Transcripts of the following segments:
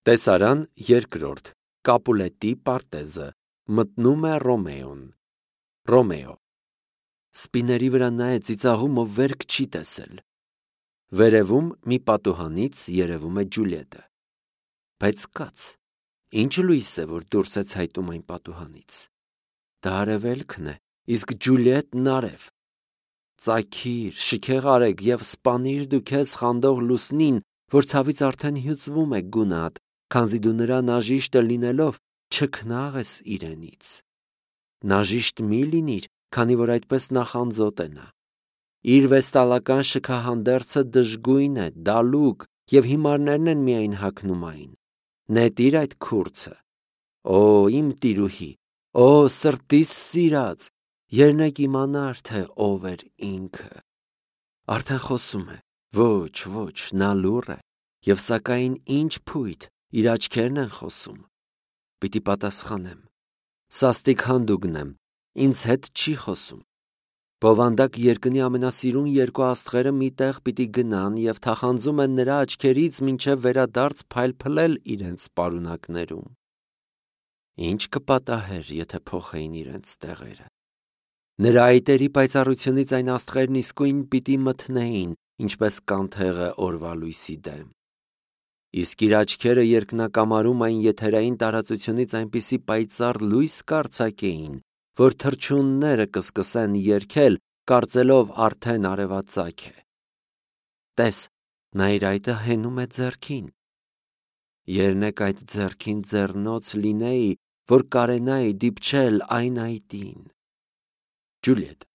Տեսարան երկրորդ Կապուլետի պարտեզը մտնում է Ռոմեոն։ Ռոմեո սպիների վրա նայեց ծիծաղում, ով վերք չի տեսել։ Վերևում մի պատուհանից երևում է Ջուլիետը։ Բայց կաց, ինչ լույս է, որ դուրս է ցայտում այն պատուհանից։ Դա արևելքն է, իսկ Ջուլիետն արև։ Ծագիր, շքեղ արեք և սպանիր դու քեզ խանդող լուսնին, որ ցավից արդեն հյուծվում է գունատ, քանզի դու նրա նաժիշտը լինելով չքնաղ ես իրենից։ Նաժիշտ մի լինիր, քանի որ այդպես նախանձոտ է նա։ Իր վեստալական շքահանդերձը դժգույն է, դալուկ, և հիմարներն են միայն հագնում այն։ Նետիր այդ քուրձը։ Օ, իմ տիրուհի, օ, սրտիս սիրած, երնեք իմանար, թե ով էր ինքը։ Արդեն խոսում է։ Ոչ, նա լուռ է, և սակայն ինչ փույթ, իր աչքերն են խոսում։ Պիտի պատասխանեմ։ Սաստիկ հանդուգն եմ, ինձ հետ չի խոսում։ Բովանդակ երկնի ամենասիրուն երկու աստղերը մի տեղ պիտի գնան և թախանձում են նրա աչքերից մինչև վերադարձ փայլփլել իրենց պարունակներում։ Ինչ կպատահեր, եթե փոխեին իրենց տեղերը։ Նրա այտերի պայծառությունից այն աստղերն իսկույն պիտի մթնեին, ինչպես կանթեղը օրվա լույսի դեմ։ Իսկ իր աչքերը երկնակամարում այն եթերային տարածությունից այնպիսի պայծառ լույս կարձակեին, որ թռչունները կսկսեն երգել, կարծելով արդեն արևածագ է։ Տես, նա իր այտը հենում է ձեռքին։ Երնեք այդ ձեռքին ձեռնոց լինեի, որ կարենայի դիպչել այն այտին։ Ջուլիետ,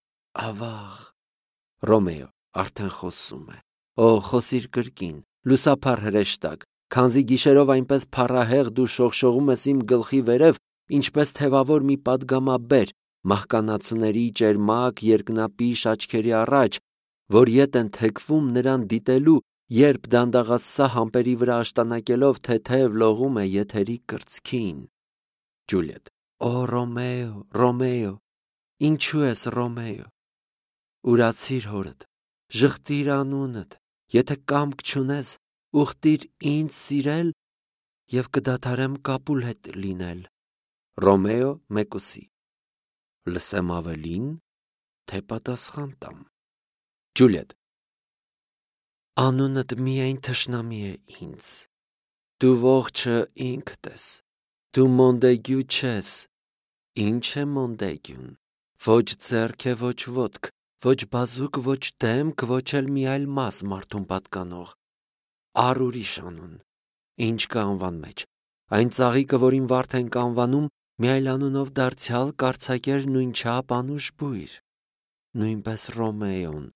ավաղ։ Ռոմեո արդեն խոսում է։ Օ, խոսիր կրկին, լուսափառ հրեշտակ, քանզի գիշերով այնպես փառահեղ դու շողշողում ես իմ գլխի վերև, ինչպես թևավոր մի պատգամաբեր, մահկանացուների ճերմակ երկնապիշ աչքերի առաջ, որ ետ են թեքվում նրան դիտելու, երբ դանդաղասահ ամպերի վրա աշտանակելով թեթև լողում է եթերի կրծքին։ Ջուլիետ, օ, Ռոմեո, Ռոմեո, ինչու ես Ռոմեո։ Ուրացիր հորդ, ժխտիր անունդ, եթե կամք չունես, ուխտիր ինձ սիրել և կդադարեմ Կապուլետ լինել։ Ռոմեո մեկուսի լսեմ ավելին, թե պատասխան տամ։ Ջուլիետ, անունդ միայն թշնամի է ինձ։ Դու ողջը ինքդ ես։ Դու Մոնդեգյու չես։ Ինչ է Մոնդեգյուն։ Ոչ ձեռք է, ոչ ոտք, ոչ բազուկ, ոչ դեմք, ոչ էլ մի այլ մաս մարդուն պատկանող։ Առ ուրիշ անուն։ Ինչ կա անվան մեջ։ Այն ծաղիկը, որին վարդ ենք անվանում, մի այլ անունով դարձյալ կարձակեր նույնչափ անուշ բույր։ Նույնպես Ռոմեոն,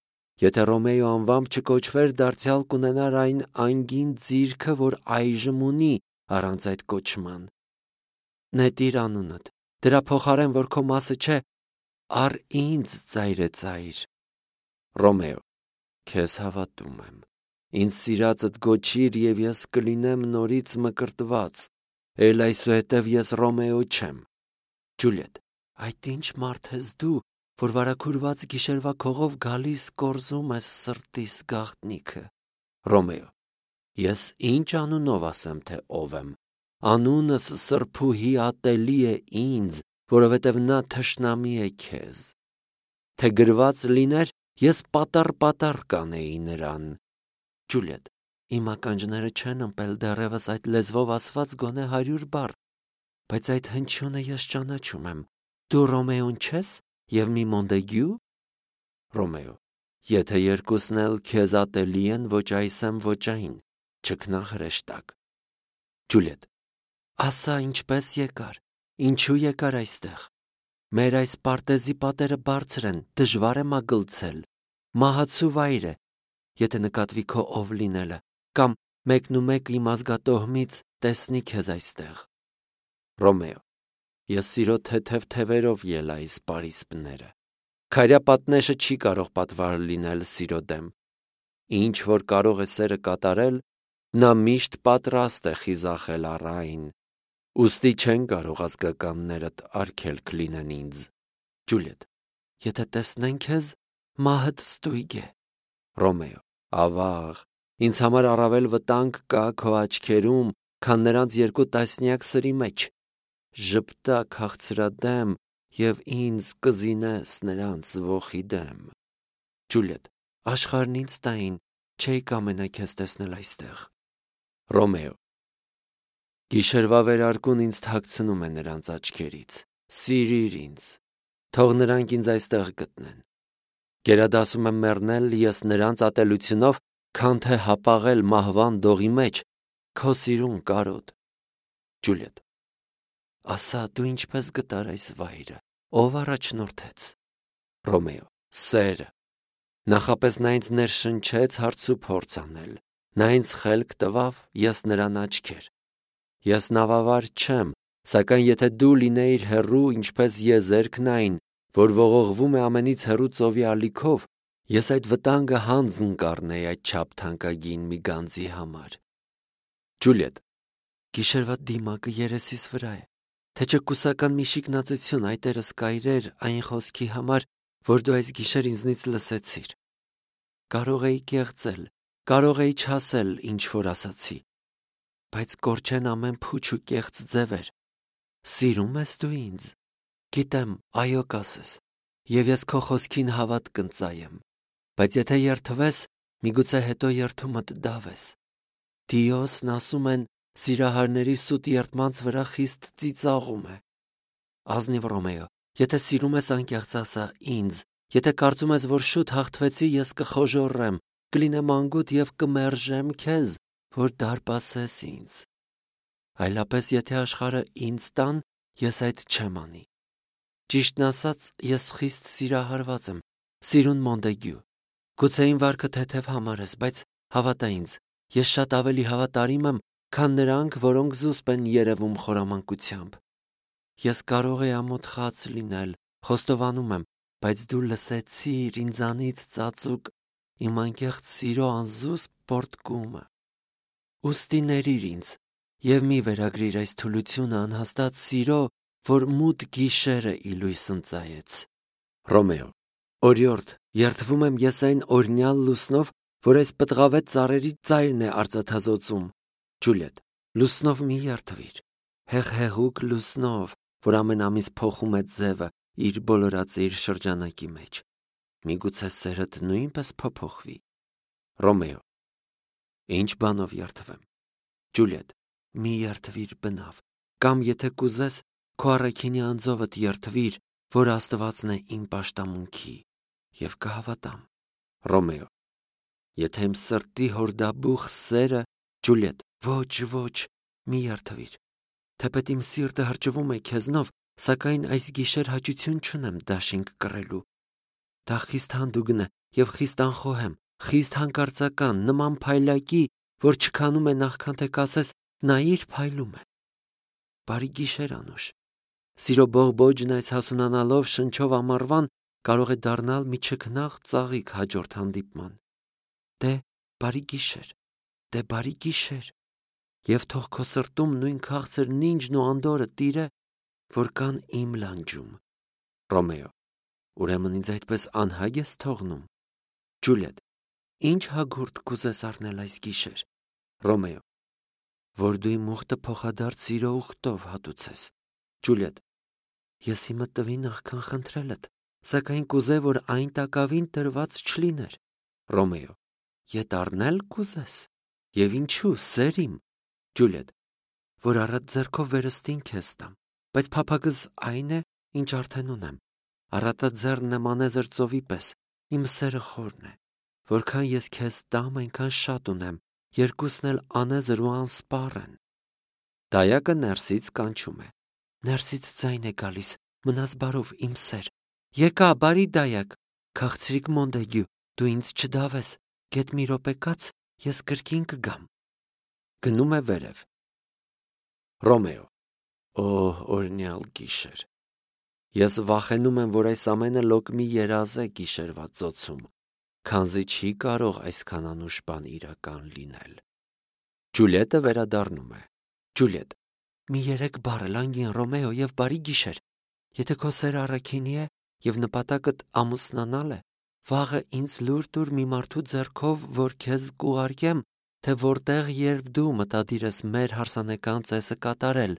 եթե Ռոմեո անվամբ չկոչվեր, դարձյալ կունենար այն անգին ձիրքը, որ այժմ ունի առանց այդ կոչման։ Նետիր անունդ, դրա փոխարեն, որ քո մասը չէ, առ ինձ ծայրեծայր։ Ռոմեո, քեզ հավատում եմ։ Ինձ սիրածդ գոչիր, և ես կլինեմ նորից մկրտված, էլ այսուհետև ես Ռոմեո չեմ։ Ջուլիետ, այդ ինչ մարդ ես դու, որ վարագուրված գիշերվա քողով գալիս կորզում ես սրտիս գաղտնիքը։ Ռոմեո, ես ինչ անունով ասեմ, թե ով եմ։ Անունս սրբուհի ատելի է ինձ, որովհետև նա թշնամի է քեզ։ Թե գրված լիներ, ես պատառ կանեի նրան։ Ջուլիետ, իմ ականջները չեն ըմպել դեռևս այդ լեզվով ասված գոնե 100 բառ, բայց այդ հնչյունը ես ճանաչում եմ։ Դու Ռոմեոն չես և մի Մոնդեգյու։ Ռոմեո, եթե երկուսն էլ քեզ ատելի են, ոչ այս եմ, ոչ այն, չքնաղ հրեշտակ։ Ջուլիետ, ասա ինչպես եկար, ինչու եկար այստեղ։ Մեր այս պարտեզի պատերը բարձր են, դժվար է մագլցել, մահացու վայր է, եթե նկատվի քո ով լինելը, կամ մեկնումեկ իմ ազգատոհմից տեսնի քեզ այստեղ։ Ռոմեո, ես սիրո թեթև թևերով ելա այս պարիսպները։ Քարյա պատնեշը չի կարող պատվար լինել սիրո դեմ։ Ինչ որ կարող է սերը կատարել, նա միշտ պատրաստ է խիզախել առ այն։ Ուստի չեն կարող ազգականներդ արգելք լինեն ինձ։ Ջուլիետ, եթե տեսնեն քեզ, մահդ ստույգ է։ Ռոմեո, ավաղ, ինձ համար առավել վտանգ կա քո աչքերում, քան նրանց 2 տասնյակ սրի մեջ։ Ժպտա քաղցրադեմ եւ ինձ կզինես նրանց ոխի դեմ։ Ջուլիետ. Աշխարհն ինձ տային, չէի կամենա քեզ տեսնել այստեղ։ Ռոմեո. Գիշերվա վերարկուն ինձ թաքցնում է նրանց աչքերից։ Սիրիր ինձ, թող նրանք ինձ այստեղ գտնեն։ Գերադասում եմ մեռնել ես նրանց ատելությունով, քան թե հապաղել մահվան դողի մեջ, քո սիրուն կարոտ։ Ջուլիետ. Ասա, դու ինչպես գտար այս վայրը, ով առաջնորդեց։ Ռոմեո. Սերը։ Նախապես նա ինձ ներշնչեց հարց ու փորձ անել, նա ինձ խելք տվավ, ես նրան աչքեր։ Ես նավավար չեմ, սակայն եթե դու լինեիր հեռու, ինչպես եզերքն այն, որ ողողվում է ամենից հեռու ծովի ալիքով, ես այդ վտանգը հանձն կառնեի այդչափ թանկագին մի գանձի համար։ Ջուլիետ. Գիշերվա դիմակը երեսիս վրա է, թե չէ կուսական մի շիկնածություն այտերս կայրեր այն խոսքի համար, որ դու այս գիշեր ինձնից լսեցիր։ Կարող էի կեղծել, կարող էի չասել, ինչ որ ասացի, բայց կորչեն ամեն փուչ ու կեղծ ձևեր։ Սիրում ես դու ինձ։ Գիտեմ, այո կասես, եւ ես քո խոսքին հավատ կընծայեմ, բայց եթե երթվես, միգուցե հետո երթումդ դավես։ Դիոսն ասում են, սիրահարների սուտ երդմանց վրա խիստ ծիծաղում է։ Ազնիվ Ռոմեո, եթե սիրում ես անկեղծ ասա ինձ, եթե կարծում ես, որ շուտ հաղթվեցի, ես կխոժոռեմ, կլինեմ անգութ եւ կմերժեմ քեզ, որ դարպասես ինձ։ Այլապես եթե աշխարհը ինձ տան, ես այդ չեմ անի։ Ճիշտն ասած, ես խիստ սիրահարված եմ, սիրուն Մոնդեգյու։ Գուցե իմ վարքը թեթև համարես, բայց հավատա ինձ, ես շատ ավելի հավատարիմ եմ, քան նրանք, որոնք զուսպ են երևում խորամանկությամբ։ Ես կարող եմ ամոթխած լինել, խոստովանում եմ, բայց դու լսեցիր ինձանից ծածուկ իմ անկեղծ սիրո անզուսպ պոռթկումը։ Ուստի ներիր ինձ եւ մի վերագրիր այս թուլությունը անհաստատ սիրո, որ մութ գիշերը ի լույս ընծայեց։ Ռոմեո. Օրիորդ, երդվում եմ ես այն օրնյալ լուսնով, որ այս պտղավետ ծառերի ծայրն է արծաթազօծում։ Ջուլիետ. Լուսնով մի երդվիր, հեղհեղուկ լուսնով, որ ամեն ամիս փոխում է ձևը իր բոլորածիր շրջանակի մեջ։ Միգուցե սերդ նույնպես փոփոխվի։ Ռոմեո. Ինչ բանով երդվեմ։ Ջուլիետ. Մի երդվիր բնավ, կամ եթե կուզես, քո առաքինի անձովդ երդվիր, որ Աստվածն է իմ պաշտամունքի, եւ կհավատամ։ Ռոմեո. Եթե իմ սրտի հորդաբուխ սերը, Ջուլիետ, ոչ, մի երդվիր։ Թեպետ իմ սիրտը հրճվում է քեզնով, սակայն այս գիշեր հաճություն չունեմ դաշինք կռելու։ Դա խիստ հանդուգն է եւ խիստ անխոհեմ, խիստ հանկարծական, նման փայլակի, որ չքանում է նախքան թե կասես նայիր փայլում է։ Բարի գիշեր Անուշ։ Սիրո բողբոջն այս հասունանալով շնչով ամառվան կարող է դառնալ մի չքնաղ ծաղիկ հաջորդ հանդիպման։ Դե բարի գիշեր, դե բարի գիշեր։ Եվ թող քո սրտում նույն քաղցր նինջն ու անդորը տիրե, որ կան իմ լանջում։ Ռոմեո. Ուրեմն ինձ այդպես անհագ ես թողնում։ Ջուլիետ. Ինչ հագուրդ կուզես առնել այս գիշեր։ Ռոմեո. Որ դու իմ ուխտը փոխադարձ սիրո ուխտով հատուցես։ Ջուլիետ. Ես իմը տվի նախքան խնդրելդ, սակայն կուզե, որ այն տակավին տրված չլիներ։ Ռոմեո. Ետ առնել կուզես։ Եվ ինչու, սերիմ։ Ջուլիետ. Որ առատ ձեռքով վերստին քեզ տամ, բայց փափագս այն է, ինչ արդեն ունեմ։ Առատը ձեռն եմ անեզր ծովի պես, իմ սերը խորն է։ Որքան ես քեզ տամ, այնքան շատ ունեմ, երկուսն էլ անեզր ու անսպառ են։ Դայակը ներսից կանչում է։ Ներսից ձայն է գալիս, մնաս բարով իմ սեր։ Եկա, բարի դայակ, քաղցրիկ Մոնդեգյու, դու ինձ չդավես, գետ մի րոպե կաց, ես կրկին կգամ։ Գնում է վերև։ Ռոմեո. օրնյալ գիշեր։ Ես վախենում եմ, որ այս ամենը լոկ մի երազ է գիշերվա ծոցում, քանզի չի կարող այսքան անուշ բան իրական լինել։ Ջուլիետը վերադառնում է։ Ջուլիետ. մի 3 բառ լանգին Ռոմեո եւ բարի գիշեր։ Եթե քո սերը առաքինի է եւ նպատակդ ամուսնանալ է, վաղը ինձ լուր տուր մի մարդու ձեռքով, որ քեզ կուղարկեմ, թե որտեղ երբ դու մտադիր ես մեր հարսանեկան ծեսը կատարել,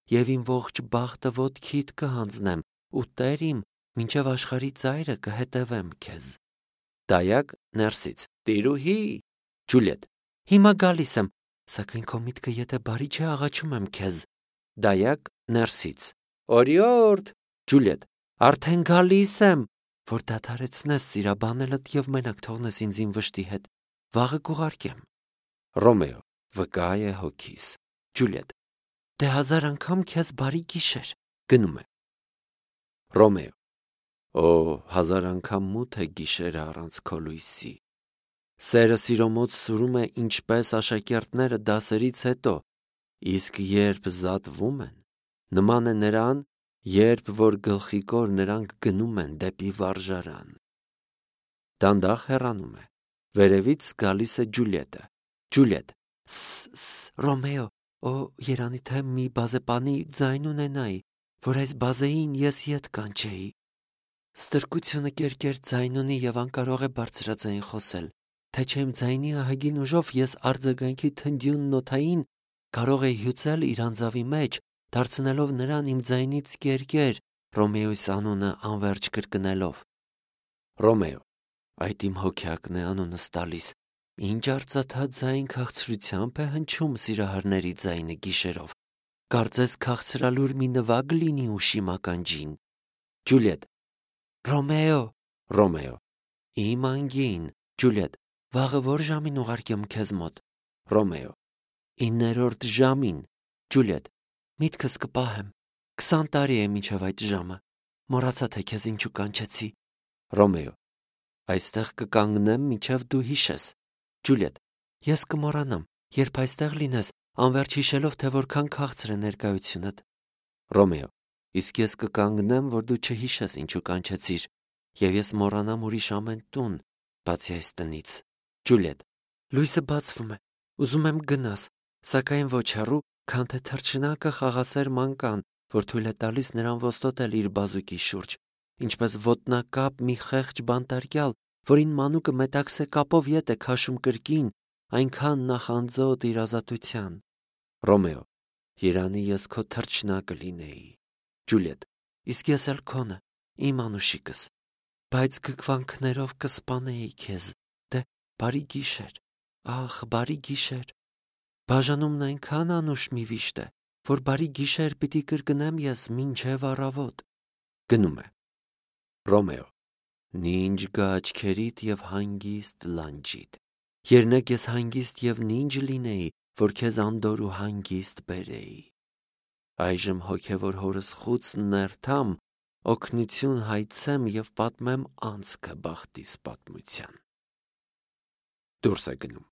եւ իմ ողջ բախտը ոտքիդ կհանձնեմ, ու Տեր իմ, մինչև աշխարհի ծայրը կհետևեմ քեզ։ Դայակ ներսից. Տիրուհի, Ջուլիետ. Հիմա գալիս եմ, սակայն քո միտքը եթե բարի չէ, աղաչում եմ քեզ։ Դայակ ներսից. Օրիորդ, Ջուլիետ. Արդեն գալիս եմ, որ դադարեցնես սիրաբանելդ եւ մենակ թողնես ինձ իմ վշտի հետ, վաղը կուղարկեմ։ Ռոմեո. վկա է հոգիս։ Ջուլիետ. դե 1000 անգամ քեզ բարի գիշեր։ Գնում է։ Ռոմեո. Օ, 1000 անգամ մութ է գիշերը առանց քո լույսի։ Սերը սիրո մոտ սուրում է ինչպես աշակերտները դասերից հետո, իսկ երբ զատվում են, նման է նրան, երբ որ գլխիկոր նրանք գնում են դեպի վարժարան։ Դանդաղ հեռանում է։ Վերևից գալիս է Ջուլիետը։ Ջուլիետ. Ռոմեո, օ, երանի թե մի բազեպանի ձայն ունենայի, որ այս բազեին ես ետ կանչեի։ Ստրկությունը կերկեր ձայն ունի եւ անկարող է բարձրաձայն խոսել, թե չէ իմ ձայնի ահագին ուժով ես արձագանքի թնդյուն նոթային կարող էի հյուծել իր անձավի մեջ, դարձնելով նրան իմ ձայնից կերկեր, Ռոմեոյիս անունը անverջ կրկնելով։ Ռոմեո. այդ իմ հոգյակն է անունս տալիս, ինչ արծաթած ձայն քաղցրությամբ է հնչում սիրահարների ձայնը գիշերով, կարծես քաղցրալուր մի նվագ լինի ուշի մականջին։ Ջուլիետ. Ռոմեո, Ռոմեո. իմ անգին, Ջուլիետ, վաղը որ ժամին ուղարկեմ քեզ մոտ։ Ռոմեո. 9-րդ ժամին։ Ջուլիետ. միտքս կպահեմ, 20 տարի է մինչև այդ ժամը, մոռացա թե քեզ ինչու կանչեցի։ Ռոմեո. այստեղ կկանգնեմ մինչև դու հիշես։ Ջուլիետ. ես կմոռանամ, երբ այստեղ լինես, անverջ հիշելով, թե որքան քաղցր է ներկայությունդ։ Ռոմեո. իսկ ես կկանգնեմ, որ դու չհիշես ինչու կանչեցիր, եւ ես մոռանամ ուրիշ ամեն տուն, բացի այս տնից։ Ջուլիետ. լույսը բացվում է, ուզում եմ գնաս, սակայն ոչ հեռու, քան թե թռչնակը խաղասեր մանկան, որ թույլ է տալիս նրան ոստոտել իր բազուկի շուրջ, ինչպես ոտնակապ մի խեղճ բանտարկյալ, որին մանուկը մետաքսե կապով ետ է քաշում կրկին, այնքան նախանձոտ իր ազատության։ Ռոմեո. երանի ես քո թռչնակը լինեի։ Ջուլիետ. իսկ ես էլ քոնը, իմ անուշիկս, բայց գգվանքներով կսպանեի քեզ, դե բարի գիշեր, ախ, բարի գիշեր։ Բաժանումն այնքան անուշ մի վիշտ է, որ բարի գիշեր պիտի կրկնեմ ես մինչև առավոտ։ Գնում է։ Ռոմեո. նինջ գա աչքերիդ եւ հանգիստ լանջիդ։ Երնեք ես հանգիստ եւ նինջ լինեի, որ քեզ անդոր ու հանգիստ բերեի։ Այժմ հոգևոր հորս խուցն ներթամ, օգնություն հայցեմ եւ պատմեմ անցքը բախտիս պատմության։ Դուրս է գնում։